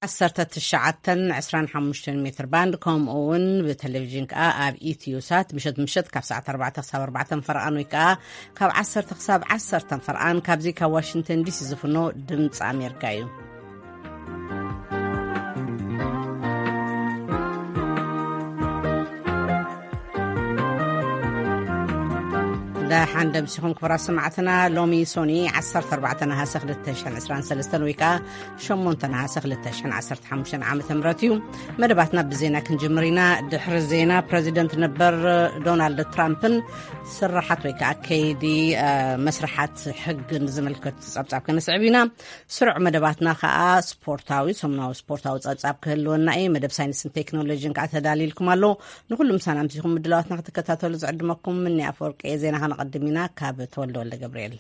ዓሰርተ ትሽዓተ ዕስራን ሓሙሽተን ሜትር ባንድ፣ ከምኡ እውን ብቴሌቪዥን ከኣ ኣብ ኢትዮ ሳት ምሸት ምሸት ካብ ሰዓት ኣርባዕተ ክሳብ ኣርባዕተ ፈርቓን ወይ ከኣ ካብ ዓሰርተ ክሳብ ዓሰርተ ፈርቓን ካብዚ ካብ ዋሽንግተን ዲሲ ዝፍኖ ድምፂ ኣሜሪካ እዩ። ደሓን ደምሲኹም ክቡራት ሰማዕትና። ሎሚ ሶኒ ዓሰርተ ኣርባዕተ ነሃሰ ክልተ ሽሕን ዕስራን ሰለስተን ወይ ከኣ ሸሞንተ ነሃሰ ክልተ ሽሕን ዓሰርተ ሓሙሽተን ዓመተ ምህረት እዩ። መደባትና ብዜና ክንጅምር ኢና። ድሕሪ ዜና ፕረዚደንት ነበር ዶናልድ ትራምፕን ስራሓት ወይ ከኣ ከይዲ፣ እ፣ መስርሓት ሕግን ዝምልከት ጸብጻብ ከነስዕብ ኢና። ስሩዕ መደባትና ከኣ ስፖርታዊ፣ ሰሙናዊ ስፖርታዊ ጸብጻብ ክህልወና እዩ። መደብ ሳይንስን ቴክኖሎጂን ከኣ ተዳልይልኩም ኣሎ። ንኹሉ ምሳና ኣምሲኹም ምድላዋትና ክትከታተሉ ዝዕድመኩም ምኒ ኣፈወርቂ። ዜና ከነቐድም ኢና ካብ ተወልደ ወልደ ገብርኤል።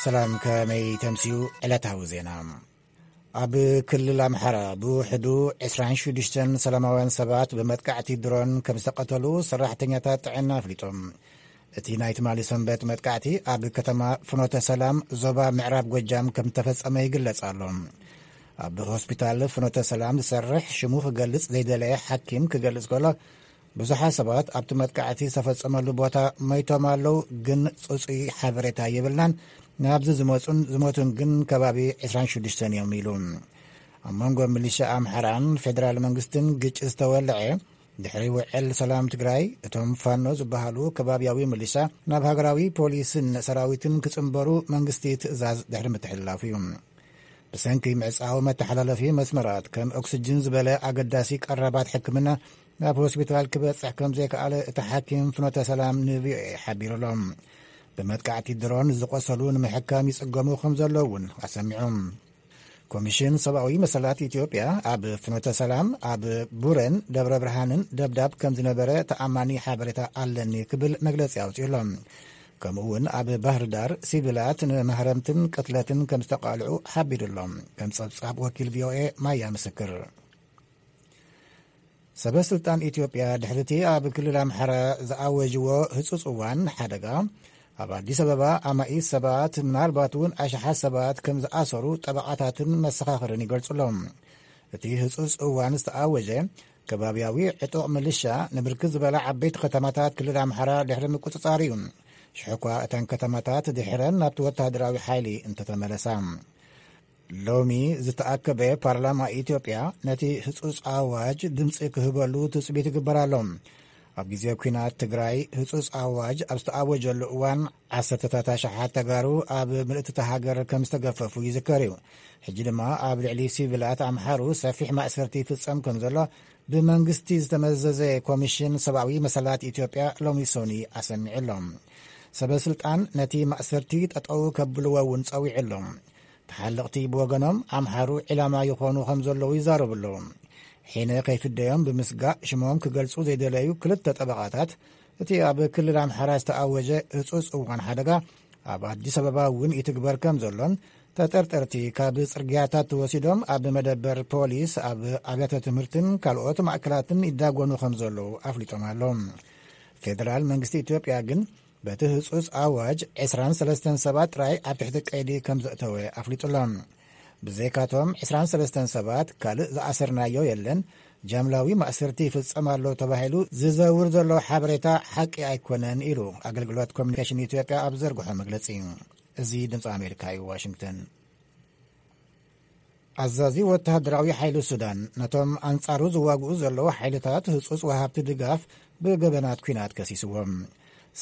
ሰላም፣ ከመይ ተምስዩ? ዕለታዊ ዜና። ኣብ ክልል ኣምሓራ ብውሕዱ ዕስራን ሽዱሽተን ሰላማውያን ሰባት ብመጥቃዕቲ ድሮን ከም ዝተቐተሉ ሰራሕተኛታት ጥዕና ኣፍሊጦም። እቲ ናይ ትማሊ ሰንበት መጥቃዕቲ ኣብ ከተማ ፍኖተ ሰላም ዞባ ምዕራብ ጎጃም ከም ዝተፈጸመ ይግለጽ ኣሎ። ኣብ ሆስፒታል ፍኖተ ሰላም ዝሰርሕ ሽሙ ክገልጽ ዘይደለየ ሓኪም ክገልጽ ከሎ፣ ብዙሓት ሰባት ኣብቲ መጥቃዕቲ ዝተፈጸመሉ ቦታ መይቶም ኣለዉ፣ ግን ጽጹይ ሓበሬታ የብልናን። ናብዚ ዝመጹን ዝሞቱን ግን ከባቢ ዕስራን ሽዱሽተን እዮም ኢሉ። ኣብ መንጎ ሚሊሻ ኣምሓራን ፌደራል መንግስትን ግጭት ዝተወልዐ ድሕሪ ውዕል ሰላም ትግራይ፣ እቶም ፋኖ ዝበሃሉ ከባብያዊ ሚሊሻ ናብ ሃገራዊ ፖሊስን ሰራዊትን ክጽንበሩ መንግስቲ ትእዛዝ ድሕሪ ምትሕልላፉ እዩ። ብሰንኪ ምዕጻው መተሓላለፊ መስመራት ከም ኦክስጅን ዝበለ ኣገዳሲ ቀረባት ሕክምና ናብ ሆስፒታል ክበጽሕ ከም ዘይከኣለ እቲ ሓኪም ፍኖተ ሰላም ን ቪ ኦ ኤ ሓቢሩ ኣሎ። ብመጥቃዕቲ ድሮን ዝቖሰሉ ንምሕካም ይጽገሙ ከም ዘለዉ እውን ኣሰሚዑ። ኮሚሽን ሰብኣዊ መሰላት ኢትዮጵያ ኣብ ፍኖተ ሰላም፣ ኣብ ቡረን ደብረ ብርሃንን ደብዳብ ከም ዝነበረ ተኣማኒ ሓበሬታ ኣለኒ ክብል መግለጺ ኣውጺኡ ኣሎ። ከምኡ እውን ኣብ ባህር ዳር ሲቪላት ንማህረምትን ቅትለትን ከም ዝተቃልዑ ሓቢሩ ኣሎ። ከም ጸብጻብ ወኪል ቪ ኦ ኤ ማያ ምስክር። ሰበ ስልጣን ኢትዮጵያ ድሕሪቲ ኣብ ክልል ኣምሓራ ዝኣወጅዎ ህጹጽ እዋን ሓደጋ፣ ኣብ ኣዲስ ኣበባ ኣማኢት ሰባት፣ ምናልባት እውን ኣሽሓት ሰባት ከም ዝኣሰሩ ጠበቓታትን መሰኻኽርን ይገልጹ ኣለዉ። እቲ ህጹጽ እዋን ዝተኣወጀ ከባብያዊ ዕጡቕ ምልሻ ንብርክት ዝበላ ዓበይቲ ከተማታት ክልል ኣምሓራ ድሕሪ ምቁጽጻር እዩ። ሽሕኳ እተን ከተማታት ድሕረን ናብቲ ወተሃደራዊ ሓይሊ እንተተመለሳ። ሎሚ ዝተኣከበ ፓርላማ ኢትዮጵያ ነቲ ህጹጽ ኣዋጅ ድምጺ ክህበሉ ትጽቢት ይግበር ኣሎ። ኣብ ግዜ ኲናት ትግራይ ህጹጽ ኣዋጅ ኣብ ዝተኣወጀሉ እዋን፣ ዓሰርተታት ኣሽሓት ተጋሩ ኣብ ምልእቲ እታ ሃገር ከም ዝተገፈፉ ይዝከር እዩ። ሕጂ ድማ ኣብ ልዕሊ ሲቪላት ኣምሓሩ ሰፊሕ ማእሰርቲ ይፍጸም ከም ዘሎ ብመንግስቲ ዝተመዘዘ ኮሚሽን ሰብኣዊ መሰላት ኢትዮጵያ ሎሚ ሶኒ ኣሰሚዑ ኣሎ። ሰበ ስልጣን ነቲ ማእሰርቲ ጠጠው ከብልዎ እውን ጸዊዑ ኣሎ። ተሓለቕቲ ብወገኖም ኣምሓሩ ዒላማ ይኾኑ ከም ዘለዉ ይዛረቡ ኣለዉ። ሒነ ከይፍደዮም ብምስጋእ ሽሞም ክገልጹ ዘይደለዩ ክልተ ጠበቓታት፣ እቲ ኣብ ክልል ኣምሓራ ዝተኣወጀ ህጹጽ እዋን ሓደጋ ኣብ ኣዲስ ኣበባ እውን ይትግበር ከም ዘሎን፣ ተጠርጠርቲ ካብ ጽርግያታት ተወሲዶም ኣብ መደበር ፖሊስ፣ ኣብ ኣብያተ ትምህርትን ካልኦት ማእከላትን ይዳጎኑ ከም ዘለዉ ኣፍሊጦም ኣለዉ። ፌደራል መንግስቲ ኢትዮጵያ ግን በቲ ህጹጽ ኣዋጅ ዕስራን ሰለስተን ሰባት ጥራይ ኣብ ትሕቲ ቀይዲ ከም ዘእተወ ኣፍሊጡ ኣሎ። ብዘይካቶም ዕስራን ሰለስተን ሰባት ካልእ ዝኣሰርናዮ የለን፣ ጃምላዊ ማእሰርቲ ይፍጸም ኣሎ ተባሂሉ ዝዘውር ዘሎ ሓበሬታ ሓቂ ኣይኮነን ኢሉ ኣገልግሎት ኮሚኒኬሽን ኢትዮጵያ ኣብ ዘርግሖ መግለጺ። እዚ ድምጺ ኣሜሪካ እዩ፣ ዋሽንግተን። ኣዛዚ ወተሃደራዊ ሓይሊ ሱዳን ነቶም ኣንጻሩ ዝዋግኡ ዘለዉ ሓይልታት ህጹጽ ወሃብቲ ድጋፍ ብገበናት ኲናት ከሲስዎም።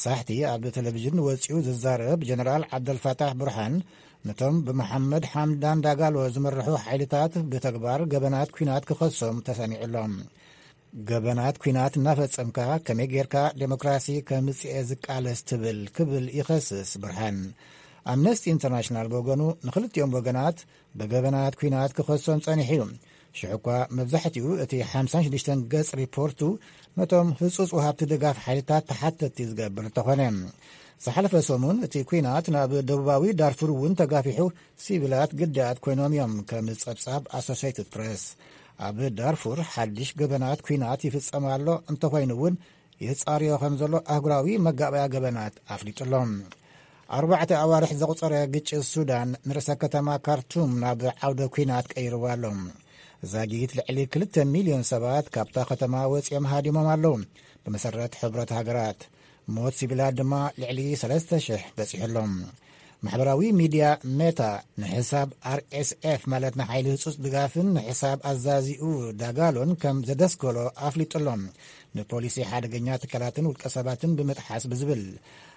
ሳሕቲ ኣብ ቴሌቪዥን ወጺኡ ዝዛረብ ጀነራል ዓብደልፋታሕ ቡርሃን፣ ነቶም ብመሓመድ ሓምዳን ዳጋሎ ዝምርሑ ሓይልታት ብተግባር ገበናት ኲናት ክኸሶም ተሰሚዑ ኣሎ። ገበናት ኲናት እናፈጸምካ ከመይ ጌርካ ዴሞክራሲ ከምጽኤ ዝቃለስ ትብል ክብል ይኸስስ ብርሃን። ኣምነስቲ ኢንተርናሽናል ብወገኑ ንኽልቲኦም ወገናት ብገበናት ኲናት ክኸሶም ጸኒሑ እዩ። ሽዑ እኳ መብዛሕትኡ እቲ ሓምሳን ሽዱሽተን ገጽ ሪፖርቱ ነቶም ህጹጽ ወሃብቲ ድጋፍ ሓይልታት ተሓተትቲ ዝገብር እንተኾነ። ዝሓለፈ ሰሙን እቲ ኲናት ናብ ደቡባዊ ዳርፉር እውን ተጋፊሑ፣ ሲቪላት ግዳያት ኮይኖም እዮም፣ ከም ጸብጻብ ኣሶሴይትድ ፕሬስ። ኣብ ዳርፉር ሓድሽ ገበናት ኲናት ይፍጸም ኣሎ፣ እንተኾይኑ እውን የጻርዮ ከም ዘሎ ኣህጉራዊ መጋበያ ገበናት ኣፍሊጡ ኣሎ። ኣርባዕተ ኣዋርሕ ዘቑጸረ ግጭት ሱዳን ንርእሰ ከተማ ካርቱም ናብ ዓውደ ኲናት ቀይርዋ ኣሎ። ዛጊት ልዕሊ ክልተ ሚልዮን ሰባት ካብታ ከተማ ወጺኦም ሃዲሞም ኣለዉ። ብመሰረት ሕብረት ሃገራት፣ ሞት ሲቪላት ድማ ልዕሊ ሰለስተ ሽሕ በጺሑ ኣሎ። ማሕበራዊ ሚድያ ሜታ ንሕሳብ ኣር ኤስ ኤፍ፣ ማለት ንሓይሊ ህጹጽ ድጋፍን ንሕሳብ ኣዛዚኡ ዳጋሎን ከም ዘደስከሎ ኣፍሊጡ ኣሎ። ንፖሊሲ ሓደገኛ ትካላትን ውልቀ ሰባትን ብምጥሓስ ብዝብል፣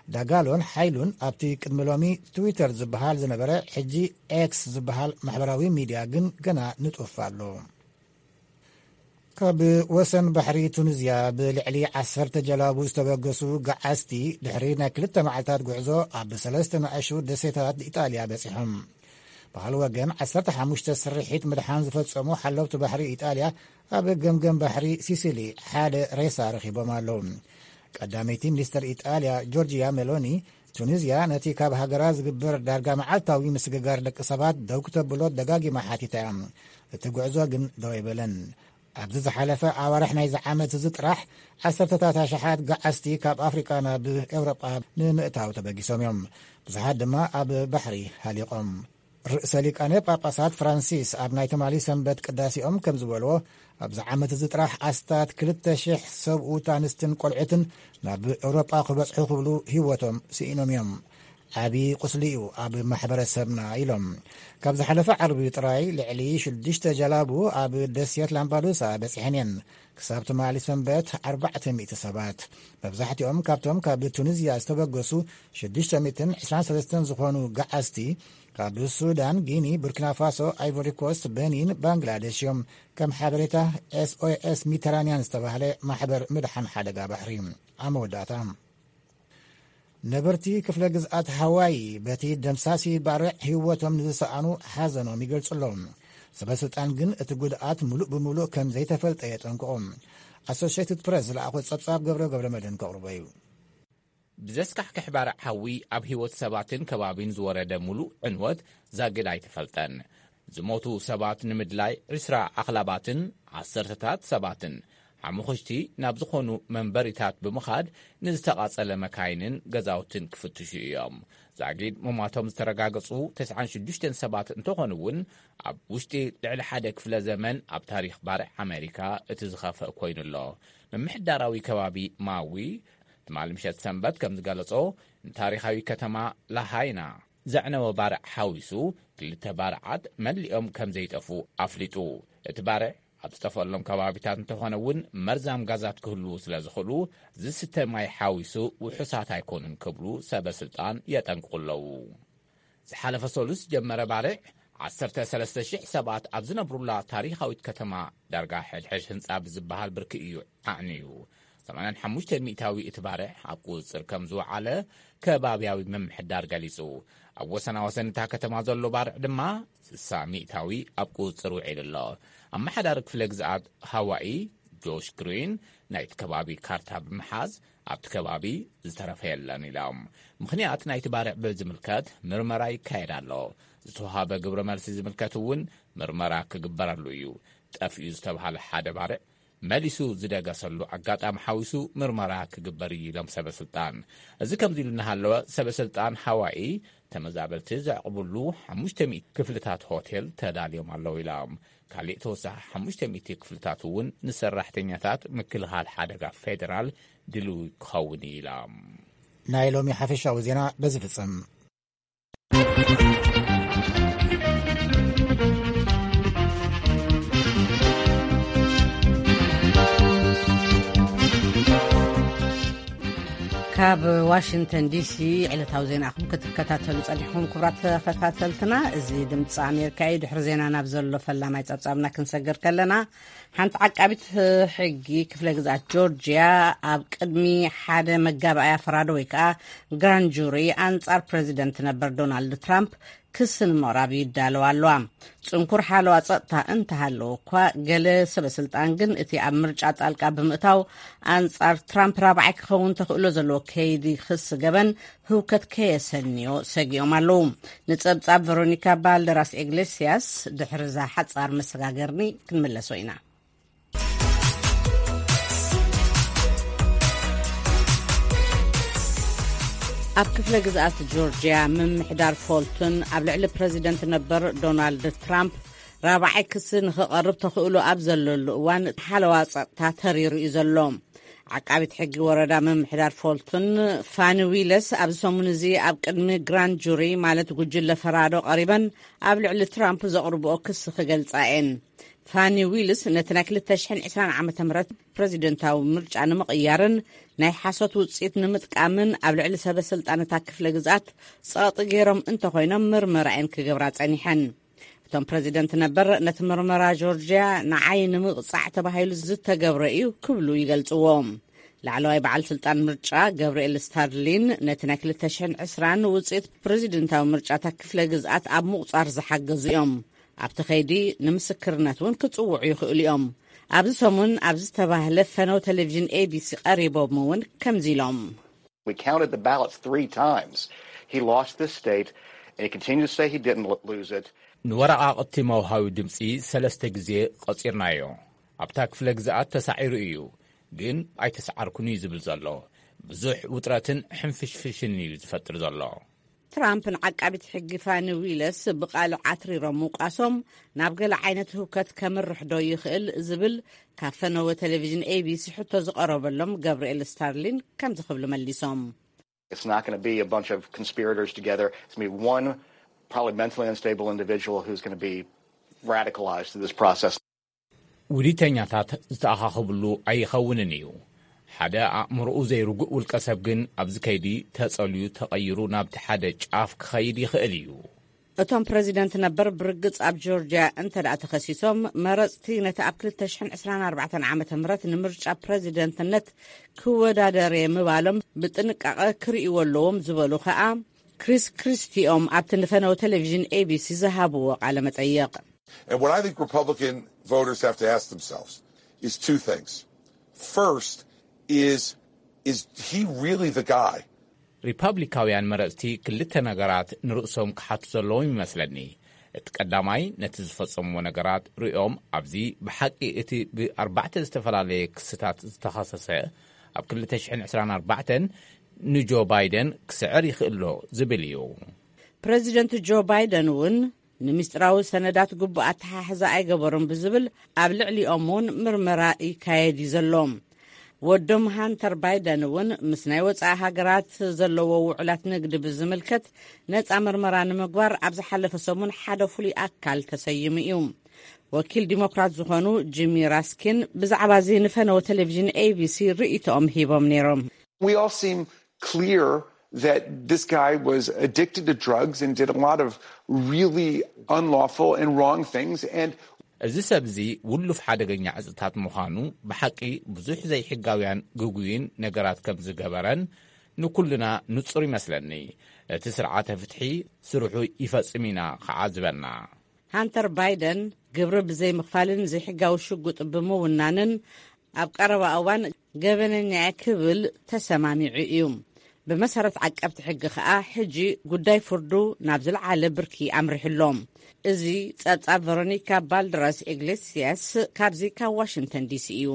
ዳጋሎን ሓይሉን ኣብቲ ቅድሚ ሎሚ ትዊተር ዝበሃል ዝነበረ፣ ሕጂ ኤክስ ዝበሃል ማሕበራዊ ሚድያ ግን ገና ንጡፍ ኣሎ። ካብ ወሰን ባሕሪ ቱኒዝያ ብልዕሊ ዓሰርተ ጀላቡ ዝተበገሱ ገዓዝቲ ድሕሪ ናይ ክልተ መዓልታት ጉዕዞ ኣብ ሰለስተ ንኣሽቱ ደሴታት ኢጣልያ በጺሖም። ብኻልእ ወገን፣ ዓሰርተ ሓሙሽተ ስርሒት ምድሓን ዝፈጸሙ ሓለውቲ ባሕሪ ኢጣልያ ኣብ ገምገም ባሕሪ ሲሲሊ ሓደ ሬሳ ረኺቦም ኣለዉ። ቀዳመይቲ ሚኒስተር ኢጣልያ ጆርጂያ ሜሎኒ፣ ቱኒዝያ ነቲ ካብ ሃገራ ዝግበር ዳርጋ መዓልታዊ ምስግጋር ደቂ ሰባት ደው ክተብሎ ደጋጊማ ሓቲታ እያ። እቲ ጉዕዞ ግን ደው ኣይበለን። ኣብዚ ዝሓለፈ ኣዋርሕ ናይዚ ዓመት እዚ ጥራሕ፣ ዓሰርተታት ኣሽሓት ገዓዝቲ ካብ ኣፍሪቃ ናብ ኤውሮጳ ንምእታው ተበጊሶም እዮም። ብዙሓት ድማ ኣብ ባሕሪ ሃሊቖም። ርእሰ ሊቃነ ጳጳሳት ፍራንሲስ ኣብ ናይ ትማሊ ሰንበት ቅዳሴኦም ከም ዝበልዎ፣ ኣብዚ ዓመት እዚ ጥራሕ ኣስታት ክልተ ሽሕ ሰብኡት፣ ኣንስትን ቆልዑትን ናብ ኤውሮጳ ክበጽሑ ክብሉ ህይወቶም ስኢኖም እዮም። ዓቢ ቁስሊ እዩ ኣብ ማሕበረሰብና ኢሎም። ካብ ዝሓለፈ ዓርቢ ጥራይ ልዕሊ ሽዱሽተ ጀላቡ ኣብ ደሴት ላምፓዱሳ በጺሐን እየን። ክሳብ ትማሊ ሰንበት ኣርባዕተ ሚእቲ ሰባት፣ መብዛሕትኦም ካብቶም ካብ ቱኒዝያ ዝተበገሱ ሽዱሽተ ሚእትን ዕስራን ሰለስተን ዝኾኑ ገዓዝቲ፣ ካብ ሱዳን፣ ጊኒ፣ ቡርኪና ፋሶ፣ ኣይቮሪ ኮስት፣ በኒን፣ ባንግላዴሽ እዮም። ከም ሓበሬታ ኤስ ኦ ኤስ ሚተራንያን ዝተባህለ ማሕበር ምድሓን ሓደጋ ባሕሪ። ኣብ መወዳእታ፣ ነበርቲ ክፍለ ግዝኣት ሃዋይ በቲ ደምሳሲ ባርዕ ህይወቶም ንዝሰኣኑ ሓዘኖም ይገልጹ ኣለዉ። ሰበ ስልጣን ግን እቲ ጉድኣት ምሉእ ብምሉእ ከም ዘይተፈልጠ የጠንቅቑ። ኣሶሽየትድ ፕረስ ዝለኣኾ ጸብጻብ ገብረ ገብረ መድህን ከቕርቦ እዩ። ብዘስካሕክሕ ባርዕ ሓዊ ኣብ ህይወት ሰባትን ከባቢን ዝወረደ ምሉእ ዕንወት ዛግድ ኣይተፈልጠን። ዝሞቱ ሰባት ንምድላይ ዕስራ ኣኽላባትን ዓሰርተታት ሰባትን ሓሙኽሽቲ ናብ ዝኾኑ መንበሪታት ብምኻድ ንዝተቓጸለ መካይንን ገዛውትን ክፍትሹ እዮም። ዛጊድ ምሟቶም ዝተረጋገጹ ተስዓን ሽዱሽተን ሰባት እንተኾኑ እውን፣ ኣብ ውሽጢ ልዕሊ ሓደ ክፍለ ዘመን ኣብ ታሪኽ ባርዕ ኣሜሪካ እቲ ዝኸፍአ ኮይኑ ኣሎ። ምምሕዳራዊ ከባቢ ማዊ ትማሊ ምሸት ሰንበት ከም ዝገለጾ፣ ንታሪኻዊ ከተማ ላሃይና ዘዕነወ ባርዕ ሓዊሱ ክልተ ባርዓት መሊኦም ከም ዘይጠፉ ኣፍሊጡ። እቲ ባርዕ ኣብ ዝጠፈሎም ከባቢታት እንተኾነ እውን መርዛም ጋዛት ክህልዉ ስለ ዝኽእሉ፣ ዝስተ ማይ ሓዊሱ ውሑሳት ኣይኮኑን ክብሉ ሰበ ስልጣን የጠንቅቑ ኣለዉ። ዝሓለፈ ሰሉስ ዝጀመረ ባርዕ፣ ዓሰርተ ሰለስተ ሽሕ ሰባት ኣብ ዝነብሩላ ታሪኻዊት ከተማ ዳርጋ ሕድሕድ ህንጻ ብዝበሃል ብርኪ እዩ ዓዕንዩ። ሰማንያን ሓሙሽተ ሚእታዊ እቲ ባርዕ ኣብ ቁጽጽር ከም ዝወዓለ ከባብያዊ ምምሕዳር ገሊጹ። ኣብ ወሰናወሰን እታ ከተማ ዘሎ ባርዕ ድማ ስሳ ሚእታዊ ኣብ ቁጽጽር ውዒሉ ኣሎ። ኣመሓዳሪ ክፍለ ግዝኣት ሃዋኢ ጆሽ ግሪን ናይቲ ከባቢ ካርታ ብምሓዝ፣ ኣብቲ ከባቢ ዝተረፈ የለን ኢሎም። ምኽንያት ናይቲ ባርዕ ብዝምልከት ምርመራ ይካየድ ኣሎ። ዝተዋሃበ ግብረ መልሲ ዝምልከት እውን ምርመራ ክግበረሉ እዩ። ጠፊኡ ዝተባህለ ሓደ ባርዕ መሊሱ ዝደገሰሉ ኣጋጣሚ ሓዊሱ ምርመራ ክግበር እዩ ኢሎም ሰበ ስልጣን። እዚ ከምዚ ኢሉ እናሃለወ፣ ሰበ ስልጣን ሃዋኢ ተመዛበልቲ ዘዕቕብሉ ሓሙሽተ ሚእቲ ክፍልታት ሆቴል ተዳልዮም ኣለዉ ኢሎም። ካሊእ ተወሳኺ ሓሙሽተ ሚእቲ ክፍልታት እውን ንሰራሕተኛታት ምክልኻል ሓደጋ ፌደራል ድልው ክኸውን እዩ ኢሎም። ናይ ሎሚ ሓፈሻዊ ዜና በዚ ፍጽም። ካብ ዋሽንግተን ዲሲ ዕለታዊ ዜናኹም ክትከታተሉ ጸኒሕኩም፣ ክቡራት ተኸታተልትና፣ እዚ ድምፂ ኣሜሪካ እዩ። ድሕሪ ዜና ናብ ዘሎ ፈላማይ ጸብጻብና ክንሰግር ከለና፣ ሓንቲ ዓቃቢት ሕጊ ክፍለ ግዝኣት ጆርጅያ ኣብ ቅድሚ ሓደ መጋባእያ ፈራዶ ወይ ከዓ ግራንድ ጁሪ ኣንጻር ፕረዚደንት ነበር ዶናልድ ትራምፕ ክሲ ንምቕራብ ይዳለዋ ኣለዋ። ጽንኩር ሓለዋ ጸጥታ እንተሃለወ እኳ፣ ገለ ሰበ ስልጣን ግን እቲ ኣብ ምርጫ ጣልቃ ብምእታው ኣንጻር ትራምፕ ራብዓይ ክኸውን ተኽእሎ ዘለዎ ከይዲ ክሲ ገበን ህውከት ከየሰንዮ ሰጊኦም ኣለዉ። ንጸብጻብ ቨሮኒካ ባልደራስ ኢግሌስያስ ድሕሪ እዛ ሓጻር መሰጋገርኒ ክንምለሶ ኢና። ኣብ ክፍለ ግዝኣት ጆርጅያ ምምሕዳር ፎልቶን ኣብ ልዕሊ ፕረዚደንት ነበር ዶናልድ ትራምፕ ራብዓይ ክሲ ንኽቐርብ ተኽእሎ ኣብ ዘለሉ እዋን ሓለዋ ጸጥታ ተሪሩ እዩ ዘሎ። ዓቃቢት ሕጊ ወረዳ ምምሕዳር ፎልቶን ፋኒ ዊለስ ኣብዚ ሰሙን እዚ ኣብ ቅድሚ ግራንድ ጁሪ ማለት ጉጅለ ፈራዶ ቀሪበን ኣብ ልዕሊ ትራምፕ ዘቕርብኦ ክሲ ክገልጻ እየን። ፋኒ ዊልስ ነቲ ናይ ክልተ ሽሕን ዕስራን ዓመተ ምህረት ፕረዚደንታዊ ምርጫ ንምቕያርን ናይ ሓሶት ውጽኢት ንምጥቃምን ኣብ ልዕሊ ሰበ ስልጣን እታ ክፍለ ግዝኣት ጸቕጢ ገይሮም እንተኾይኖም ምርመራ እየን ክገብራ ጸኒሐን። እቶም ፕረዚደንት ነበር ነቲ ምርመራ ጆርጅያ ንዓይ ንምቕጻዕ ተባሂሉ ዝተገብረ እዩ ክብሉ ይገልጽዎ። ላዕለዋይ በዓል ስልጣን ምርጫ ገብርኤል ስታርሊን ነቲ ናይ ክልተ ሽሕን ዕስራን ውጽኢት ፕረዚደንታዊ ምርጫ እታ ክፍለ ግዝኣት ኣብ ምቑጻር ዝሓገዙ እዮም። ኣብቲ ኸይዲ ንምስክርነት እውን ክጽውዑ ይኽእሉ እዮም። ኣብዚ ሰሙን ኣብ ዝተባህለ ፈነው ቴሌቪዥን ኤቢሲ ቀሪቦም እውን ከምዚ ኢሎም። We counted the ballots three times. He lost this state, and he continued to say he didn't lo- lose it. ንወረቓቕቲ መውሃዊ ድምፂ ሰለስተ ግዜ ቐፂርናዮ። ኣብታ ክፍለ ግዝኣት ተሳዒሩ እዩ፣ ግን ኣይተሰዓርኩን እዩ ዝብል ዘሎ። ብዙሕ ውጥረትን ሕንፍሽፍሽን እዩ ዝፈጥር ዘሎ። ትራምፕ ንዓቃቢት ሕጊ ፋኒ ዊለስ ብቓል ዓትሪሮም ምውቃሶም ናብ ገለ ዓይነት ህውከት ከምርሕ ዶ ይኽእል ዝብል ካብ ፈነወ ቴሌቪዥን ኤቢሲ ሕቶ ዝቐረበሎም ገብርኤል ስታርሊን ከምዚ ክብሉ መሊሶም። It's not going to be a bunch of conspirators together. It's going to be one probably mentally unstable individual who's going to be radicalized through this process. ውዲተኛታት ዝተኣኻኸብሉ ኣይኸውንን እዩ። ሓደ ኣእምሮኡ ዘይርጉእ ውልቀ ሰብ ግን ኣብዚ ከይዲ ተጸልዩ ተቐይሩ ናብቲ ሓደ ጫፍ ክኸይድ ይኽእል እዩ። እቶም ፕረዚደንት ነበር ብርግጽ ኣብ ጆርጅያ እንተ ደኣ ተኸሲሶም፣ መረጽቲ ነቲ ኣብ ክልተ ሽሕን ዕስራን ኣርባዕተን ዓመተ ምህረት ንምርጫ ፕረዚደንትነት ክወዳደር እየ ምባሎም ብጥንቃቐ ክርእይዎ ኣለዎም ዝበሉ ከኣ ክሪስ ክሪስቲ እዮም ኣብቲ ንፈነው ቴሌቪዥን ኤቢሲ ዝሃብዎ ቃለ መጠይቕ። And what I think Republican voters have to ask themselves is two things. First is, is he really the guy? ሪፓብሊካውያን መረጽቲ ክልተ ነገራት ንርእሶም ክሓቱ ዘለዎም ይመስለኒ። እቲ ቀዳማይ፣ ነቲ ዝፈጸምዎ ነገራት ርእዮም፣ ኣብዚ ብሓቂ እቲ ብኣርባዕተ ዝተፈላለየ ክስታት ዝተኸሰሰ ኣብ ክልተ ሽሕን ዕስራን ኣርባዕተን ንጆ ባይደን ክስዕር ይኽእሎ ዝብል እዩ። ፕረዚደንት ጆ ባይደን እውን ንምስጢራዊ ሰነዳት ግቡእ ኣተሓሕዛ ኣይገበሩን ብዝብል ኣብ ልዕሊኦም እውን ምርመራ ይካየድ እዩ ዘሎ። ወዶም ሃንተር ባይደን እውን ምስ ናይ ወጻኢ ሃገራት ዘለዎ ውዕላት ንግዲ ብዝምልከት ነጻ ምርመራ ንምግባር ኣብ ዝሓለፈ ሰሙን ሓደ ፍሉይ ኣካል ተሰይሙ እዩ። ወኪል ዲሞክራት ዝኾኑ ጂሚ ራስኪን ብዛዕባ እዚ ንፈነወ ቴሌቪዥን ኤቢሲ ርእይቶኦም ሂቦም ነይሮም። We all seem clear that this guy was addicted to drugs and did a lot of really unlawful and wrong things. And እዚ ሰብ እዚ ውሉፍ ሓደገኛ ዕፅታት ምዃኑ ብሓቂ ብዙሕ ዘይሕጋውያን ግጉይን ነገራት ከም ዝገበረን ንኩልና ንጹር ይመስለኒ። እቲ ስርዓተ ፍትሒ ስርሑ ይፈጽም ኢና ከዓ ዝበልና። ሃንተር ባይደን ግብሪ ብዘይምኽፋልን ዘይሕጋዊ ሽጉጥ ብምውናንን ኣብ ቀረባ እዋን ገበነኛ እየ ክብል ተሰማሚዑ እዩ። ብመሰረት ዓቀብቲ ሕጊ ከኣ ሕጂ ጉዳይ ፍርዱ ናብ ዝለዓለ ብርኪ ኣምሪሑ ኣሎ። እዚ ጸብጻብ ቨሮኒካ ባልድራስ ኢግሌሲያስ ካብዚ ካብ ዋሽንግተን ዲሲ እዩ።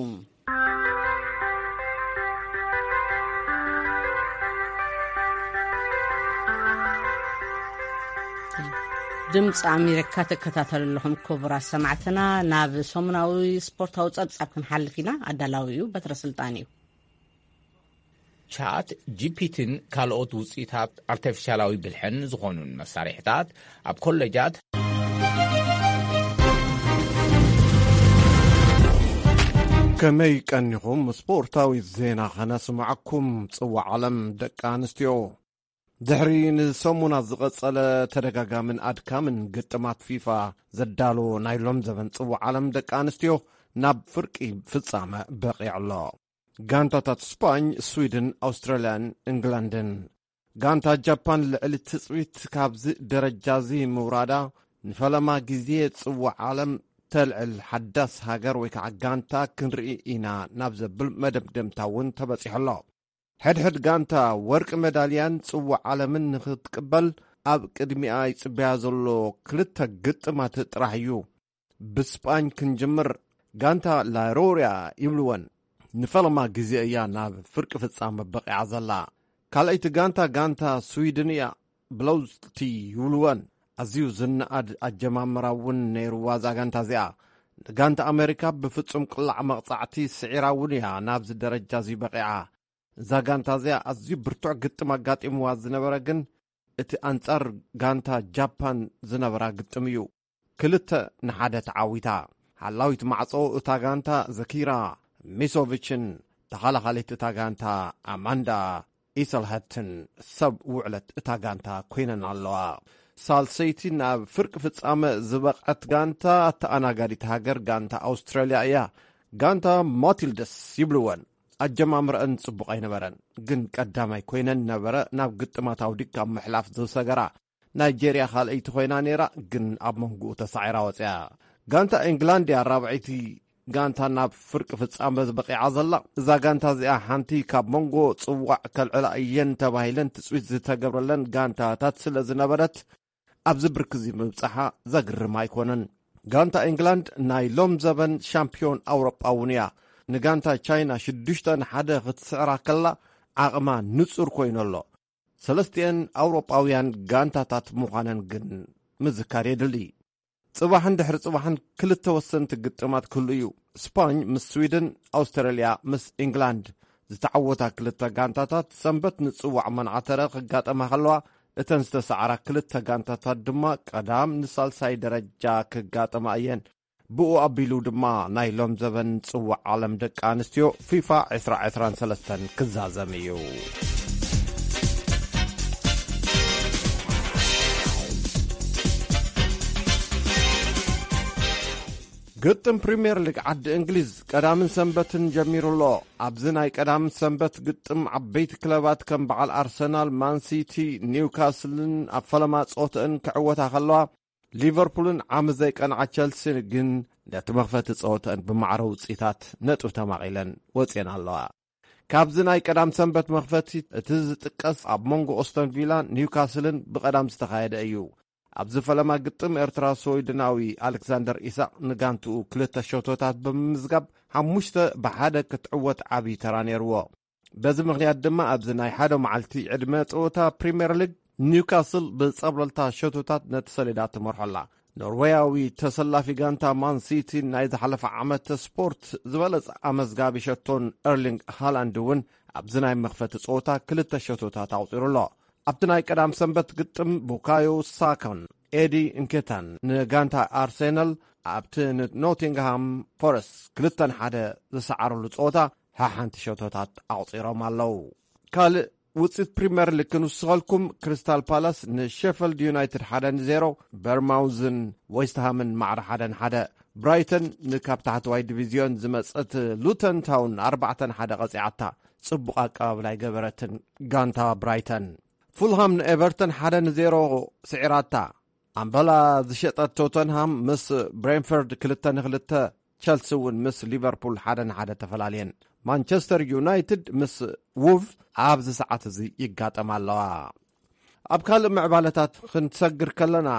ድምፂ ኣሜሪካ ትከታተሉ ኣለኹም ክቡራት ሰማዕትና። ናብ ሰሙናዊ ስፖርታዊ ጸብጻብ ክንሓልፍ ኢና። ኣዳላዊ እዩ በትረ ስልጣን እዩ። ቻት ጂፒቲን ካልኦት ውፅኢታት ኣርቲፊሻላዊ ብልሕን ዝኾኑን መሳርሕታት ኣብ ኮለጃት። ከመይ ቀኒኹም? ስፖርታዊ ዜና ከነስምዓኩም። ጽዋዕ ዓለም ደቂ ኣንስትዮ ድሕሪ ንሰሙናት ዝቐጸለ ተደጋጋምን ኣድካምን ግጥማት ፊፋ ዘዳሎ ናይ ሎም ዘበን ጽዋዕ ዓለም ደቂ ኣንስትዮ ናብ ፍርቂ ፍጻመ በቒዑ ኣሎ። ጋንታታት ስፓኝ፣ ስዊድን፣ ኣውስትራልያን እንግላንድን። ጋንታ ጃፓን ልዕሊ ትጽቢት ካብዚ ደረጃ እዚ ምውራዳ ንፈለማ ግዜ ጽዋዕ ዓለም ተልዕል ሓዳስ ሃገር ወይ ከዓ ጋንታ ክንርኢ ኢና ናብ ዘብል መደምደምታ እውን ተበጺሑ ኣሎ። ሕድሕድ ጋንታ ወርቂ መዳልያን ጽዋዕ ዓለምን ንኽትቅበል ኣብ ቅድሚኣ ይጽበያ ዘሎ ክልተ ግጥማት ጥራሕ እዩ። ብስጳኝ ክንጅምር፣ ጋንታ ላሮሪያ ይብልወን ንፈለማ ግዜ እያ ናብ ፍርቂ ፍጻመ በቂዓ ዘላ። ካልኣይቲ ጋንታ፣ ጋንታ ስዊድን እያ። ብለውዝቲ ይብልወን። ኣዝዩ ዝነኣድ ኣጀማምራ እውን ነይርዋ እዛ ጋንታ እዚኣ። ንጋንታ ኣሜሪካ ብፍጹም ቅላዕ መቕጻዕቲ ስዒራ እውን እያ ናብዚ ደረጃ እዚ በቒዓ። እዛ ጋንታ እዚኣ ኣዝዩ ብርቱዕ ግጥም ኣጋጢምዋ ዝነበረ፣ ግን እቲ ኣንጻር ጋንታ ጃፓን ዝነበራ ግጥም እዩ። ክልተ ንሓደ ተዓዊታ። ሓላዊት ማዕጾ እታ ጋንታ ዘኪራ ሚሶቪችን ተኸላኻሊት እታ ጋንታ ኣማንዳ ኢሰልሀትን ሰብ ውዕለት እታ ጋንታ ኮይነን ኣለዋ። ሳልሰይቲ ናብ ፍርቂ ፍጻመ ዝበቕዐት ጋንታ፣ ኣተኣናጋዲት ሃገር ጋንታ ኣውስትራልያ እያ። ጋንታ ማቲልደስ ይብልወን። ኣጀማምረአን ጽቡቕ ኣይነበረን፣ ግን ቀዳማይ ኮይነን ነበረ ናብ ግጥማት ኣውዲቅ ካብ ምሕላፍ ዝሰገራ። ናይጄርያ ካልኣይቲ ኮይና ነይራ፣ ግን ኣብ መንጎኡ ተሳዒራ ወፂኣ። ጋንታ ኤንግላንድ እያ ራብዐይቲ ጋንታ ናብ ፍርቂ ፍጻመ በቂዓ ዘላ። እዛ ጋንታ እዚኣ ሓንቲ ካብ መንጎ ጽዋዕ ከልዕላ እየን ተባሂለን ትጽቢት ዝተገብረለን ጋንታታት ስለ ዝነበረት፣ ኣብዚ ብርኪ እዚ ምብጻሓ ዘግርም ኣይኮነን። ጋንታ ኤንግላንድ ናይ ሎም ዘበን ሻምፒዮን ኣውሮጳ እውን እያ። ንጋንታ ቻይና ሽዱሽተ ንሓደ ክትስዕራ ከላ ዓቕማ ንጹር ኮይኑ ኣሎ። ሰለስቲአን ኣውሮጳውያን ጋንታታት ምዃነን ግን ምዝካር የድሊ። ጽባሕን ድሕሪ ጽባሕን ክልተ ወሰንቲ ግጥማት ክህሉ እዩ። ስፓኝ ምስ ስዊድን፣ ኣውስትራልያ ምስ ኢንግላንድ። ዝተዓወታ ክልተ ጋንታታት ሰንበት ንጽዋዕ መናዓተረ ክጋጠማ ከለዋ፣ እተን ዝተሰዓራ ክልተ ጋንታታት ድማ ቀዳም ንሳልሳይ ደረጃ ክጋጠማ እየን። ብኡ ኣቢሉ ድማ ናይ ሎም ዘበን ጽዋዕ ዓለም ደቂ ኣንስትዮ ፊፋ ዕስራ ዕስራን ሰለስተን ክዛዘም እዩ። ግጥም ፕሪምየር ሊግ ዓዲ እንግሊዝ ቀዳምን ሰንበትን ጀሚሩ ኣሎ። ኣብዚ ናይ ቀዳምን ሰንበት ግጥም ዓበይቲ ክለባት ከም በዓል ኣርሰናል፣ ማንሲቲ፣ ኒውካስልን ኣብ ፈለማ ጸወተአን ክዕወታ ከለዋ፣ ሊቨርፑልን ዓሚ ዘይቀንዓ ቸልሲ ግን ነቲ መኽፈቲ ጸወተአን ብማዕረ ውጽኢታት ነጥቢ ተማቒለን ወጺአን ኣለዋ። ካብዚ ናይ ቀዳም ሰንበት መኽፈቲ እቲ ዝጥቀስ ኣብ መንጎ ኦስተን ቪላን ኒውካስልን ብቐዳም ዝተኻየደ እዩ። ኣብዚ ፈለማ ግጥም ኤርትራ ስዊድናዊ ኣሌክሳንደር ኢሳቕ ንጋንትኡ ክልተ ሸቶታት ብምምዝጋብ ሓሙሽተ ብሓደ ክትዕወት ዓብዪ ተራ ነይርዎ። በዚ ምኽንያት ድማ ኣብዚ ናይ ሓደ መዓልቲ ዕድመ ጸወታ ፕሪምየር ሊግ ኒውካስል ብጸብለልታ ሸቶታት ነቲ ሰሌዳ ትመርሖ ኣላ። ኖርዌያዊ ተሰላፊ ጋንታ ማን ሲቲ ናይ ዝሓለፈ ዓመት ስፖርት ዝበለጸ ኣመዝጋቢ ሸቶን ኤርሊንግ ሃላንድ እውን ኣብዚ ናይ መኽፈቲ ጸወታ ክልተ ሸቶታት ኣቑጺሩ ኣሎ። ኣብቲ ናይ ቀዳም ሰንበት ግጥም ቡካዮ ሳካን ኤዲ እንኬታን ንጋንታ ኣርሴናል ኣብቲ ንኖቲንግሃም ፎረስት ክልተ ንሓደ ዝሰዓረሉ ጸወታ ሓሓንቲ ሸቶታት ኣቑጺሮም ኣለዉ። ካልእ ውጽኢት ፕሪምየር ሊግ ክንውስኸልኩም፣ ክሪስታል ፓላስ ንሼፈልድ ዩናይትድ ሓደ ንዜሮ፣ በርማውዝን ዌስትሃምን ማዕረ ሓደ ንሓደ፣ ብራይተን ንካብ ታሕተዋይ ዲቪዝዮን ዝመጸት ሉተን ታውን ኣርባዕተ ንሓደ ቀጺዓታ። ጽቡቕ ኣቀባብላ ኣይገበረትን ጋንታ ብራይተን። ፉልሃም ንኤቨርተን ሓደ ንዜሮ ስዒራታ። ኣምበላ ዝሸጠት ቶተንሃም ምስ ብሬንፈርድ ክልተ ንክልተ፣ ቸልሲ እውን ምስ ሊቨርፑል ሓደ ንሓደ ተፈላልየን። ማንቸስተር ዩናይትድ ምስ ውቭ ኣብዚ ሰዓት እዚ ይጋጠማ ኣለዋ። ኣብ ካልእ ምዕባለታት ክንሰግር ከለና፣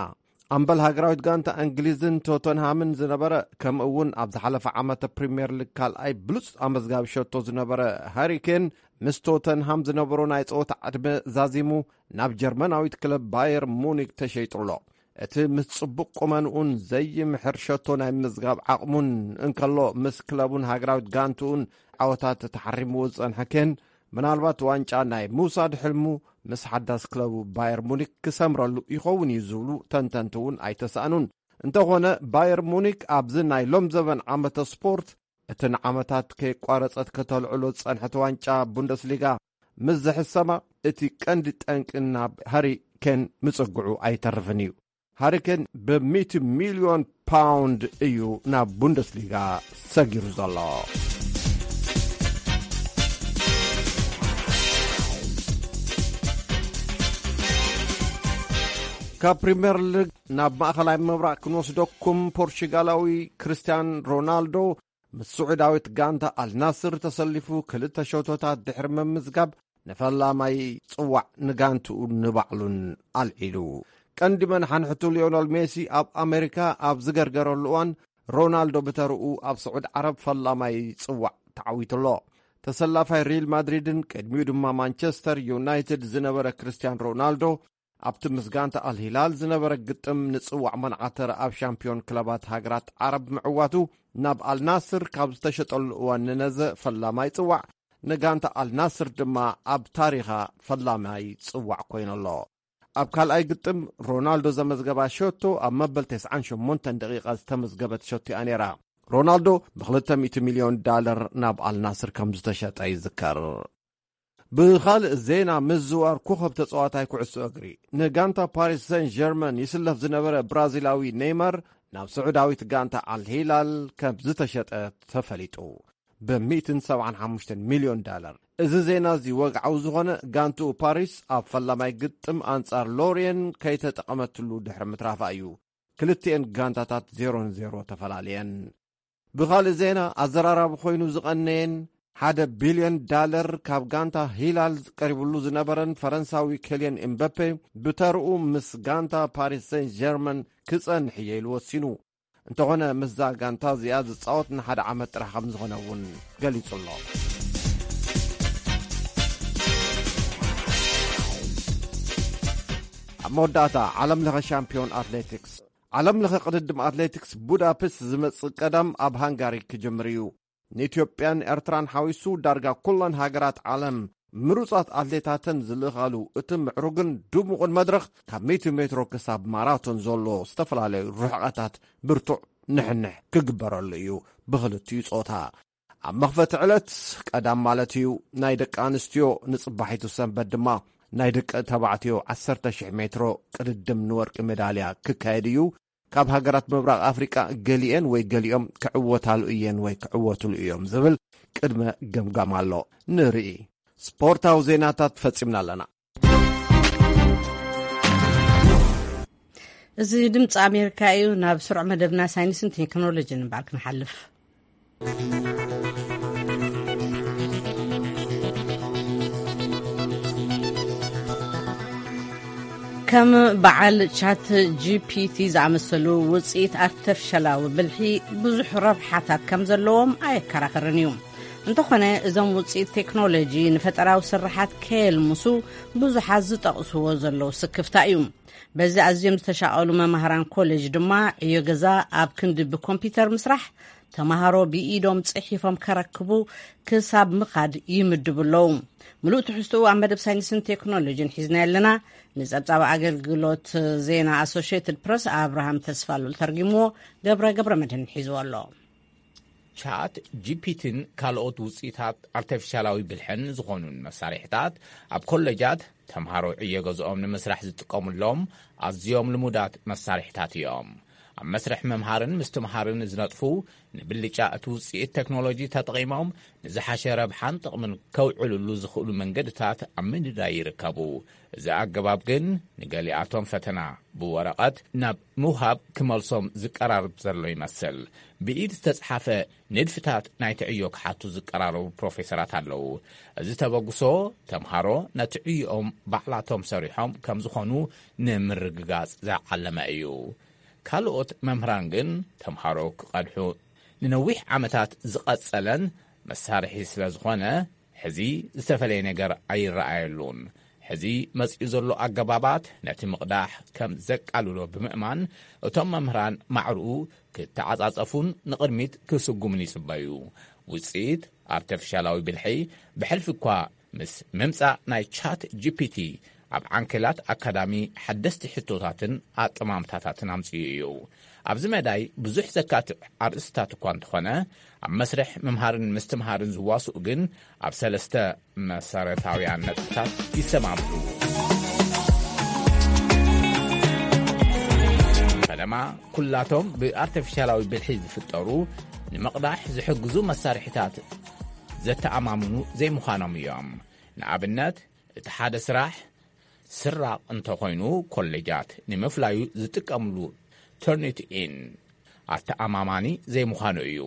ኣምበል ሃገራዊት ጋንታ እንግሊዝን ቶተንሃምን ዝነበረ፣ ከምኡ እውን ኣብ ዝሓለፈ ዓመተ ፕሪምየር ሊግ ካልኣይ ብሉጽ ኣመዝጋቢ ሸቶ ዝነበረ ሃሪ ኬን፣ ምስ ቶተንሃም ዝነበሮ ናይ ጸወታ ዕድመ ዛዚሙ ናብ ጀርመናዊት ክለብ ባየር ሙኒክ ተሸይጡ ኣሎ። እቲ ምስ ጽቡቕ ቁመንኡን ዘይምሕር ሸቶ ናይ ምዝጋብ ዓቕሙን እንከሎ፣ ምስ ክለቡን ሃገራዊት ጋንትኡን ዓወታት ተሓሪምዎ ዝጸንሐ ኬን፣ ምናልባት ዋንጫ ናይ ምውሳድ ሕልሙ ምስ ሓዳስ ክለቡ ባየር ሙኒክ ክሰምረሉ ይኸውን እዩ ዝብሉ ተንተንቲ እውን ኣይተሳእኑን። እንተኾነ፣ ባየር ሙኒክ ኣብዚ ናይ ሎም ዘበን ዓመተ ስፖርት፣ እቲ ንዓመታት ከየቋረጸት ከተልዕሎ ዝጸንሐት ዋንጫ ቡንደስሊጋ ምስ ዝሕሰማ፣ እቲ ቀንዲ ጠንቂ ናብ ሃሪ ኬን ምጽግዑ ኣይተርፍን እዩ። ሃሪ ኬን ብሚእቲ ሚልዮን ፓውንድ እዩ ናብ ቡንደስሊጋ ሰጊሩ ዘሎ። ካብ ፕሪምየር ሊግ ናብ ማእኸላይ ምብራቕ ክንወስደኩም፣ ፖርቹጋላዊ ክርስቲያን ሮናልዶ ምስ ስዑዳዊት ጋንታ ኣልናስር ተሰሊፉ ክልተ ሸቶታት ድሕሪ ምምዝጋብ፣ ንፈላማይ ጽዋዕ ንጋንትኡ ንባዕሉን ኣልዒሉ። ቀንዲ መናሓንሕቱ ሊዮነል ሜሲ ኣብ ኣሜሪካ ኣብ ዝገርገረሉ እዋን፣ ሮናልዶ ብተርኡ ኣብ ስዑድ ዓረብ ፈላማይ ጽዋዕ ተዓዊቱ ኣሎ። ተሰላፋይ ሪል ማድሪድን ቅድሚኡ ድማ ማንቸስተር ዩናይትድ ዝነበረ ክርስቲያን ሮናልዶ፣ ኣብቲ ምስ ጋንታ ኣልሂላል ዝነበረ ግጥም ንጽዋዕ መናዓተር ኣብ ሻምፒዮን ክለባት ሃገራት ዓረብ ምዕዋቱ፣ ናብ ኣልናስር ካብ ዝተሸጠሉ እዋን ንነዘ ፈላማይ ጽዋዕ፣ ንጋንታ ኣልናስር ድማ ኣብ ታሪኻ ፈላማይ ጽዋዕ ኮይኑ ኣሎ። ኣብ ካልኣይ ግጥም ሮናልዶ ዘመዝገባ ሸቶ ኣብ መበል ተስዓን ሸሞንተን ደቂቓ ዝተመዝገበት ሸቶ እያ ነይራ። ሮናልዶ ብ200 ሚልዮን ዳለር ናብ ኣልናስር ከም ዝተሸጠ ይዝከር። ብኻልእ ዜና፣ ምዝዋር ኮኸብ ተጻዋታይ ኩዕሶ እግሪ ንጋንታ ፓሪስ ሰን ጀርመን ይስለፍ ዝነበረ ብራዚላዊ ኔይማር ናብ ስዑዳዊት ጋንታ ኣልሂላል ከም ዝተሸጠ ተፈሊጡ፣ ብ175 ሚልዮን ዳለር። እዚ ዜና እዚ ወግዓዊ ዝኾነ፣ ጋንትኡ ፓሪስ ኣብ ፈላማይ ግጥም ኣንጻር ሎርየን ከይተጠቐመትሉ ድሕሪ ምትራፋ እዩ። ክልቲኤን ጋንታታት ዜሮ ንዜሮ ተፈላለየን። ብኻልእ ዜና፣ ኣዘራራቢ ኮይኑ ዝቐነየን ሓደ ቢልዮን ዳለር ካብ ጋንታ ሂላል ቀሪብሉ ዝነበረን ፈረንሳዊ ኬልየን ኤምበፔ፣ ብተርኡ ምስ ጋንታ ፓሪስ ሰን ጀርመን ክጸንሕ እየ ኢሉ ወሲኑ። እንተኾነ፣ ምስዛ ጋንታ እዚኣ ዝጻወት ንሓደ ዓመት ጥራሕ ከም ዝኾነ እውን ገሊጹ ኣሎ። ኣብ መወዳእታ፣ ዓለም ለኸ ሻምፒዮን ኣትሌቲክስ። ዓለም ለኸ ቅድድም ኣትሌቲክስ ቡዳፔስት ዝመጽእ ቀዳም ኣብ ሃንጋሪ ክጅምር እዩ። ንኢትዮጵያን ኤርትራን ሓዊሱ ዳርጋ ኩለን ሃገራት ዓለም ምሩጻት ኣትሌታተን ዝልእኻሉ እቲ ምዕሩግን ድሙቕን መድረኽ፣ ካብ ሚእቲ ሜትሮ ክሳብ ማራቶን ዘሎ ዝተፈላለዩ ርሕቐታት ብርቱዕ ንሕንሕ ክግበረሉ እዩ ብኽልቲኡ ጾታ። ኣብ መኽፈቲ ዕለት ቀዳም ማለት እዩ ናይ ደቂ ኣንስትዮ፣ ንጽባሒቱ ሰንበት ድማ ናይ ደቂ ተባዕትዮ 10,000 ሜትሮ ቅድድም ንወርቂ ሜዳልያ ክካየድ እዩ። ካብ ሃገራት ምብራቕ ኣፍሪቃ ገሊኤን ወይ ገሊኦም ክዕወታሉ እየን ወይ ክዕወትሉ እዮም ዝብል ቅድመ ገምጋም ኣሎ። ንርኢ። ስፖርታዊ ዜናታት ፈጺምና ኣለና። እዚ ድምፂ ኣሜሪካ እዩ። ናብ ስሩዕ መደብና ሳይንስን ቴክኖሎጂን እምበኣር ክንሓልፍ። ከም በዓል ቻት ጂ ፒ ቲ ዝኣመሰሉ ውፅኢት ኣርተፊሻላዊ ብልሒ ብዙሕ ረብሓታት ከም ዘለዎም ኣየከራኸርን እዩ። እንተኾነ፣ እዞም ውፅኢት ቴክኖሎጂ ንፈጠራዊ ስርሓት ከየልምሱ ብዙሓት ዝጠቕስዎ ዘለዉ ስክፍታ እዩ። በዚ ኣዝዮም ዝተሻቐሉ መማህራን ኮሌጅ ድማ ዕዮ ገዛ ኣብ ክንዲ ብኮምፒውተር ምስራሕ፣ ተማሃሮ ብኢዶም ጽሒፎም ከረክቡ ክሳብ ምኻድ ይምድቡ ኣለዉ። ምሉእ ትሕዝትኡ ኣብ መደብ ሳይንስን ቴክኖሎጂን ሒዝና ኣለና። ንጸብጻብ ኣገልግሎት ዜና ኣሶሽየትድ ፕረስ ኣብርሃም ተስፋሉል ተርጊምዎ፣ ገብረ ገብረ መድህን ሒዝዎ ኣሎ። ቻት ጂ ፒ ቲን ካልኦት ውፅኢታት ኣርተፊሻላዊ ብልሕን ዝኾኑን መሳርሒታት ኣብ ኮሌጃት ተምሃሮ ዕዮ ገዝኦም ንምስራሕ ዝጥቀሙሎም ኣዝዮም ልሙዳት መሳርሒታት እዮም። ኣብ መስርሕ ምምሃርን ምስትምሃርን ዝነጥፉ፣ ንብልጫ እቲ ውፅኢት ቴክኖሎጂ ተጠቒሞም ንዝሓሸ ረብሓን ጥቕምን ከውዕልሉ ዝኽእሉ መንገድታት ኣብ ምድላይ ይርከቡ። እዚ ኣገባብ ግን ንገሊኣቶም ፈተና ብወረቐት ናብ ምውሃብ ክመልሶም ዝቀራርብ ዘሎ ይመስል። ብኢድ ዝተጽሓፈ ንድፍታት ናይቲ ዕዮ ክሓቱ ዝቀራረቡ ፕሮፌሰራት ኣለዉ። እዚ ተበግሶ፣ ተምሃሮ ነቲ ዕዮኦም ባዕላቶም ሰሪሖም ከም ዝኾኑ ንምርግጋጽ ዝዓለመ እዩ። ካልኦት መምህራን ግን፣ ተምሃሮ ክቐድሑ ንነዊሕ ዓመታት ዝቐጸለን መሳርሒ ስለ ዝኾነ፣ ሕዚ ዝተፈለየ ነገር ኣይረኣየሉን። ሕዚ መጺኡ ዘሎ ኣገባባት ነቲ ምቕዳሕ ከም ዘቃልሎ ብምእማን፣ እቶም መምህራን ማዕርኡ ክተዓጻጸፉን ንቕድሚት ክስጉሙን ይጽበዩ። ውጽኢት ኣርተፊሻላዊ ብልሒ ብሕልፊ እኳ ምስ ምምጻእ ናይ ቻት ጂ ፒ ቲ ኣብ ዓንኬላት ኣካዳሚ ሓደስቲ ሕቶታትን ኣጠማምታታትን ኣምጺኡ እዩ። ኣብዚ መዳይ ብዙሕ ዘካትዕ ኣርእስታት እኳ እንተኾነ፣ ኣብ መስርሕ ምምሃርን ምስትምሃርን ዝዋስኡ ግን ኣብ ሰለስተ መሰረታውያን ነጥብታት ይሰማምዑ። ፈለማ፣ ኩላቶም ብኣርተፊሻላዊ ብልሒ ዝፍጠሩ ንምቕዳሕ ዝሕግዙ መሳርሒታት ዘተኣማምኑ ዘይምዃኖም እዮም። ንኣብነት፣ እቲ ሓደ ስራሕ ስራቕ እንተኾይኑ፣ ኮሌጃት ንምፍላዩ ዝጥቀምሉ ተርኒት ኢን ኣተኣማማኒ ዘይምዃኑ እዩ።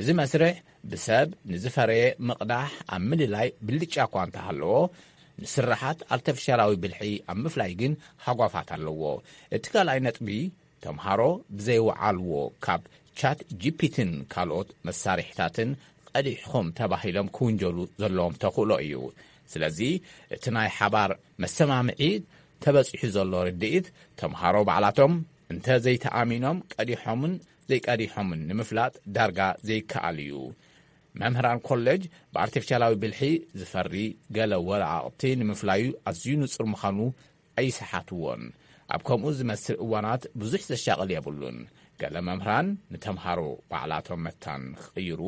እዚ መስርሕ ብሰብ ንዝፈረየ ምቕዳሕ ኣብ ምልላይ ብልጫ እኳ እንተሃለዎ፣ ንስራሓት ኣርተፊሻላዊ ብልሒ ኣብ ምፍላይ ግን ሃጓፋት ኣለዎ። እቲ ካልኣይ ነጥቢ፣ ተምሃሮ ብዘይወዓልዎ ካብ ቻት ጂ ፒ ቲን ካልኦት መሳርሒታትን ቀዲሕኹም ተባሂሎም ክውንጀሉ ዘለዎም ተኽእሎ እዩ። ስለዚ እቲ ናይ ሓባር መሰማምዒ ተበጺሑ ዘሎ ርድኢት፣ ተምሃሮ ባዕላቶም እንተ ዘይተኣሚኖም ቀዲሖምን ዘይቀዲሖምን ንምፍላጥ ዳርጋ ዘይከኣል እዩ። መምህራን ኮሌጅ ብኣርቲፊሻላዊ ብልሒ ዝፈሪ ገለ ወረቓቕቲ ንምፍላዩ ኣዝዩ ንጹር ምዃኑ ኣይሰሓትዎን። ኣብ ከምኡ ዝመስል እዋናት ብዙሕ ዘሻቕል የብሉን። ገለ መምህራን ንተምሃሮ ባዕላቶም መታን ክቕይሩ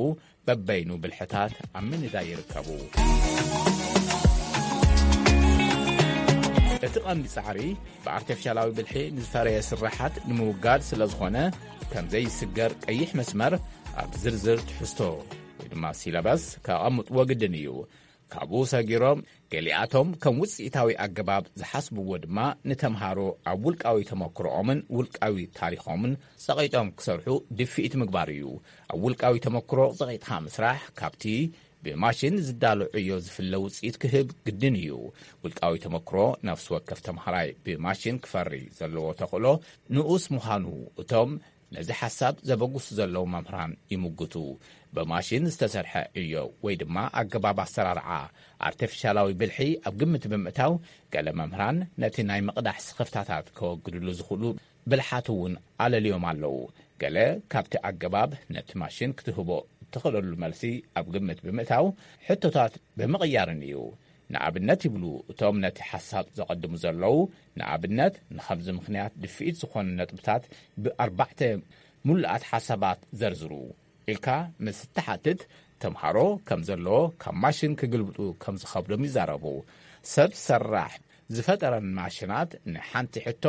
በበይኑ ብልሕታት ኣብ ምንዳይ ይርከቡ። እቲ ቀንዲ ጻዕሪ ብኣርቲፊሻላዊ ብልሒ ንዝፈረየ ስራሓት ንምውጋድ ስለ ዝኾነ፣ ከም ዘይስገር ቀይሕ መስመር ኣብ ዝርዝር ትሕዝቶ ወይ ድማ ሲለበስ ከቐምጥዎ ግድን እዩ። ካብኡ ሰጊሮም ገሊኣቶም ከም ውጽኢታዊ ኣገባብ ዝሓስብዎ ድማ ንተምሃሮ ኣብ ውልቃዊ ተመክሮኦምን ውልቃዊ ታሪኾምን ጸቒጦም ክሰርሑ ድፍኢት ምግባር እዩ። ኣብ ውልቃዊ ተመክሮ ጸቒጥካ ምስራሕ ካብቲ ብማሽን ዝዳሎ ዕዮ ዝፍለ ውጽኢት ክህብ ግድን እዩ። ውልቃዊ ተመክሮ ነፍሲ ወከፍ ተምሃራይ ብማሽን ክፈሪ ዘለዎ ተኽእሎ ንኡስ ምዃኑ እቶም ነዚ ሓሳብ ዘበግሱ ዘለዉ መምህራን ይምጉቱ። ብማሽን ዝተሰርሐ ዕዮ ወይ ድማ ኣገባብ ኣሰራርዓ ኣርቲፊሻላዊ ብልሒ ኣብ ግምት ብምእታው፣ ገለ መምህራን ነቲ ናይ ምቕዳሕ ስኽፍታታት ከወግድሉ ዝኽእሉ ብልሓት እውን ኣለልዮም ኣለዉ። ገለ ካብቲ ኣገባብ ነቲ ማሽን ክትህቦ እትኽእለሉ መልሲ ኣብ ግምት ብምእታው፣ ሕቶታት ብምቕያርን እዩ። ንኣብነት ይብሉ እቶም ነቲ ሓሳብ ዘቐድሙ ዘለዉ፣ ንኣብነት ንኸምዚ ምኽንያት ድፍኢት ዝኾኑ ነጥብታት ብኣርባዕተ ምሉኣት ሓሳባት ዘርዝሩ ኢልካ ምስ እትሓትት፣ ተምሃሮ ከም ዘለዎ ካብ ማሽን ክግልብጡ ከም ዝኸብዶም ይዛረቡ። ሰብ ሰራሕ ዝፈጠረን ማሽናት ንሓንቲ ሕቶ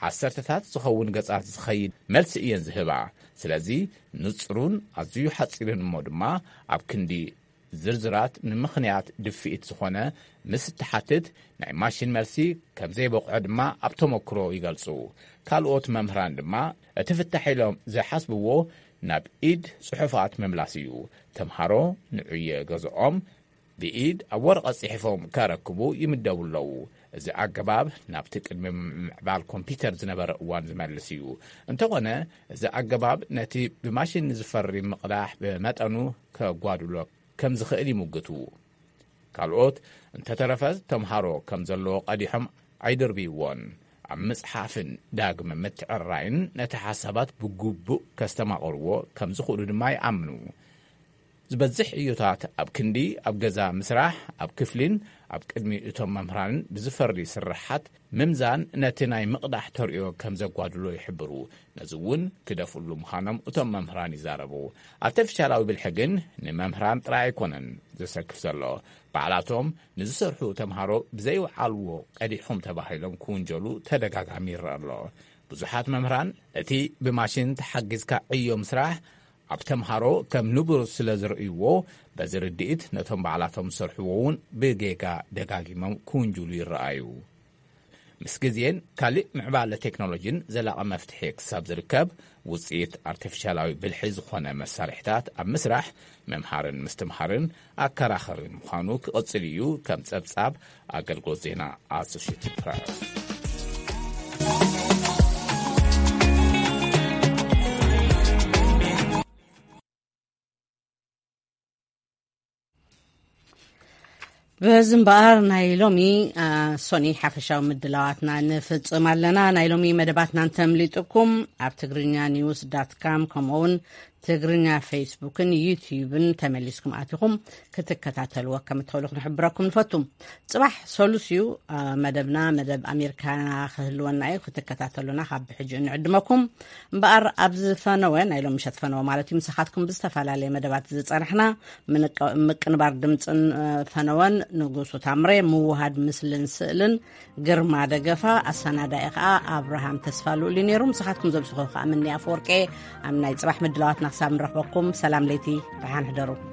ዓሰርተታት ዝኸውን ገጻት ዝኸይድ መልሲ እየን ዝህባ። ስለዚ ንጹሩን ኣዝዩ ሓጺርን እሞ ድማ ኣብ ክንዲ ዝርዝራት ንምኽንያት ድፍኢት ዝኾነ ምስ እትሓትት፣ ናይ ማሽን መልሲ ከም ዘይበቕዖ ድማ ኣብ ተመክሮ ይገልጹ። ካልኦት መምህራን ድማ እቲ ፍታሕ ኢሎም ዝሓስብዎ ናብ ኢድ ጽሑፋት ምምላስ እዩ። ተምሃሮ ንዕዮ ገዝኦም ብኢድ ኣብ ወረቐት ጽሒፎም ከረክቡ ይምደቡ ኣለዉ። እዚ ኣገባብ ናብቲ ቅድሚ ምምዕባል ኮምፒውተር ዝነበረ እዋን ዝመልስ እዩ። እንተኾነ፣ እዚ ኣገባብ ነቲ ብማሽን ዝፈሪ ምቕዳሕ ብመጠኑ ከጓድሎ ከም ዝኽእል ይምግቱ። ካልኦት እንተተረፈ፣ ተምሃሮ ከም ዘለዎ ቀዲሖም ኣይድርብይዎን። ኣብ ምጽሓፍን ዳግመ ምትዕራይን ነቲ ሓሳባት ብግቡእ ከስተማቕርዎ ከም ዝኽእሉ ድማ ይኣምኑ። ዝበዝሕ ዕዮታት ኣብ ክንዲ ኣብ ገዛ ምስራሕ፣ ኣብ ክፍሊን ኣብ ቅድሚ እቶም መምህራንን ብዝፈሪ ስርሓት ምምዛን ነቲ ናይ ምቕዳሕ ተርእዮ ከም ዘጓድሎ ይሕብሩ። ነዚ እውን ክደፍእሉ ምዃኖም እቶም መምህራን ይዛረቡ። ኣርቲፊሻላዊ ብልሒ ግን ንመምህራን ጥራይ ኣይኮነን ዘሰክፍ ዘሎ። ባዕላቶም ንዝሰርሑ ተምሃሮ ብዘይወዓልዎ ቀዲሖም ተባሂሎም ክውንጀሉ ተደጋጋሚ ይረአ ኣሎ። ብዙሓት መምህራን እቲ ብማሽን ተሓጊዝካ ዕዮ ምስራሕ ኣብ ተምሃሮ ከም ንቡር ስለ ዝርእይዎ፣ በዚ ርድኢት ነቶም ባዕላቶም ዝሰርሕዎ እውን ብጌጋ ደጋጊሞም ክውንጅሉ ይረኣዩ። ምስ ግዜን ካልእ ምዕባለ ቴክኖሎጂን ዘላቒ መፍትሒ ክሳብ ዝርከብ፣ ውጽኢት ኣርቲፊሻላዊ ብልሒ ዝኾነ መሳርሒታት ኣብ ምስራሕ ምምሃርን ምስትምሃርን ኣከራኸሪ ምዃኑ ክቕጽል እዩ። ከም ጸብጻብ ኣገልግሎት ዜና ኣሶሽየትድ ፕረስ። በዚ እምበኣር ናይ ሎሚ፣ አ፣ ሶኒ ሓፈሻዊ ምድላዋትና ንፍጽም ኣለና። ናይ ሎሚ መደባትና እንተምሊጥኩም ኣብ ትግርኛ ኒውስ ዳት ካም ከምኡውን ትግርኛ ፌስቡክን ዩትዩብን ተመሊስኩም ኣቲኹም ክትከታተልዎ ከም እትኽእሉ ክንሕብረኩም ንፈቱ። ጽባሕ ሰሉስ እዩ፣ አ፣ መደብና፣ መደብ ኣሜሪካና ክህልወና እዩ። ክትከታተሉና ካብ ብሕጂ ንዕድመኩም። እምበኣር ኣብዚ ፈነወ፣ ናይ ሎም ምሸት ፈነወ ማለት እዩ፣ ምሳኻትኩም ብዝተፈላለየ መደባት ዝጸናሕና ምንቀ-፣ ምቅንባር ድምጽን፣ እ፣ ፈነወን ንጉሱ ታምሬ፣ ምውሃድ ምስልን ስእልን ግርማ ደገፋ፣ ኣሰናዳኢ ኸኣ ኣብርሃም ተስፋ ልኡል እዩ ነይሩ። ምሳኻትኩም ዘምስኹ ኸኣ ምንያ ኣፈወርቄ። ኣብ ናይ ጽባሕ ምድላዋትና ክሳብ ንረኽበኩም ሰላም ለይቲ፣ ደሓን ሕደሩ።